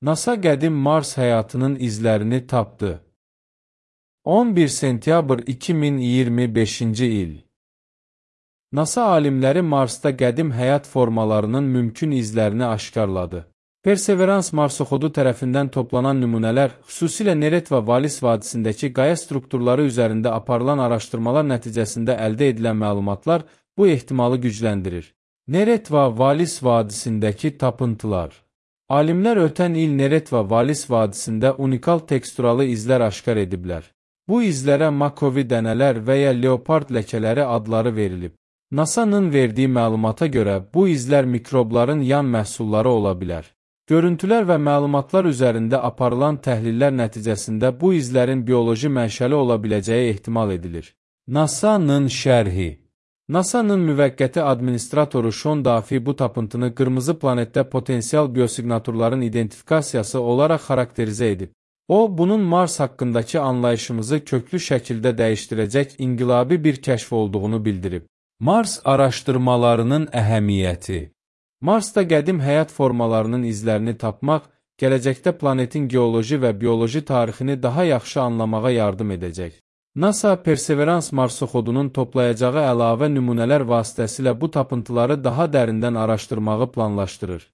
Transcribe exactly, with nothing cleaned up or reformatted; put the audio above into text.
NASA qədim Mars həyatının izlərini tapdı. on bir sentyabr iki min iyirmi beşinci il. NASA alimləri Marsda qədim həyat formalarının mümkün izlərini aşkarladı. Perseverance marsoxodu tərəfindən toplanan nümunələr, xüsusilə Neret və Valis vadisindəki qaya strukturları üzərində aparılan araşdırmalar nəticəsində əldə edilən məlumatlar bu ehtimalı gücləndirir. Neret və Valis vadisindəki tapıntılar. Alimlər ötən il Neret və Valis vadisində unikal teksturalı izlər aşkar ediblər. Bu izlərə Makovi dənələr və ya leopard ləkələri adları verilib. NASA'nın verdiyi məlumata görə bu izlər mikrobların yan məhsulları ola bilər. Görüntülər və məlumatlar üzərində aparılan təhlillər nəticəsində bu izlərin bioloji mənşəli ola biləcəyi ehtimal edilir. NASA'nın şərhi. NASA'nın müvəqqəti administratoru Sean Duffy bu tapıntını qırmızı planetdə potensial biosiqnaturların identifikasiyası olaraq xarakterizə edib. O, bunun Mars haqqındakı anlayışımızı köklü şəkildə dəyişdirəcək inqilabi bir kəşf olduğunu bildirib. Mars araşdırmalarının əhəmiyyəti. Marsda qədim həyat formalarının izlərini tapmaq, gələcəkdə planetin geoloji və bioloji tarixini daha yaxşı anlamağa yardım edəcək. NASA Perseverance marsoxodunun toplayacağı əlavə nümunələr vasitəsilə bu tapıntıları daha dərindən araşdırmağı planlaşdırır.